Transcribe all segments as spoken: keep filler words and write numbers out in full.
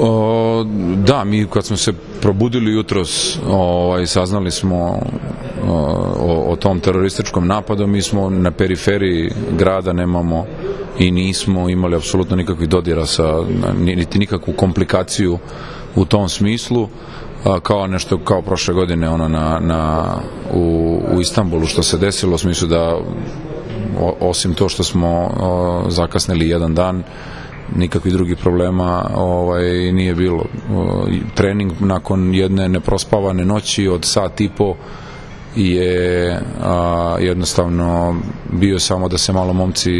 O, da, mi kad smo se probudili jutros, ovaj, saznali smo o, o tom terorističkom napadu, mi smo na periferiji grada, nemamo i nismo imali apsolutno nikakvih dodira sa, niti nikakvu komplikaciju u tom smislu, a, kao nešto kao prošle godine ono na, na, u, u Istanbulu što se desilo, u smislu da o, osim to što smo o, zakasnili jedan dan, nikakvih drugih problema ovaj, nije bilo. Trening nakon jedne neprospavane noći od sat i po je a, jednostavno bio samo da se malo momci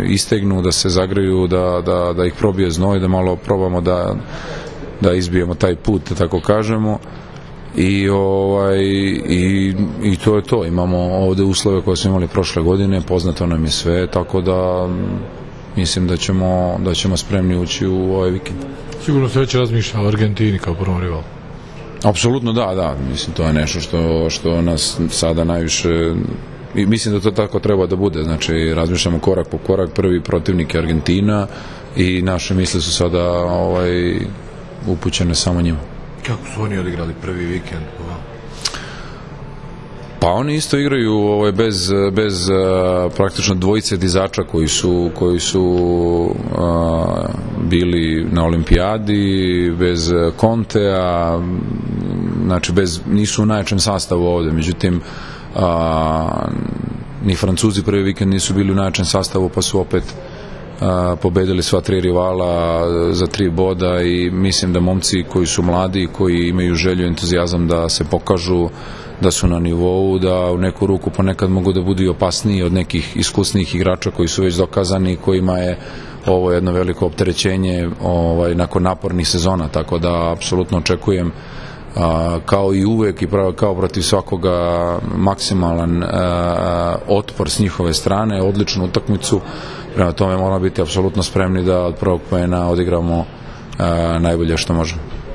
istegnu, da se zagreju, da, da, da ih probije znoj, da malo probamo da, da izbijemo taj put, da tako kažemo. I, ovaj, i, i to je to. Imamo ovde uslove koje smo imali prošle godine, poznato nam je sve, tako da mislim da ćemo, da ćemo spremni ući u ovaj vikend. Sigurno se već razmišlja o Argentini kao prvom rivalu. Apsolutno da, da. Mislim, to je nešto što, što nas sada najviše, i mislim da to tako treba da bude. Znači, razmišljamo korak po korak, prvi protivnik je Argentina i naše misle su sada ovaj, upućene samo njima. Kako su oni odigrali prvi vikend? Pa oni isto igraju ovaj, bez, bez uh, praktično dvojice dizača koji su, koji su uh, bili na olimpijadi, bez Contea, znači bez, nisu u najjačem sastavu ovde, međutim uh, ni Francuzi prvi vikend nisu bili u najjačem sastavu, pa su opet uh, pobedili sva tri rivala za tri boda i mislim da momci koji su mladi, koji imaju želju i entuzijazam da se pokažu, da su na nivou, da u neku ruku ponekad mogu da budu i opasniji od nekih iskusnih igrača koji su već dokazani, kojima je ovo jedno veliko opterećenje ovaj, nakon napornih sezona, tako da apsolutno očekujem a, kao i uvek i pravo, kao protiv svakoga maksimalan a, otpor s njihove strane, odličnu utakmicu, prema tome moramo biti apsolutno spremni da od prvog poena odigramo a, najbolje što možemo.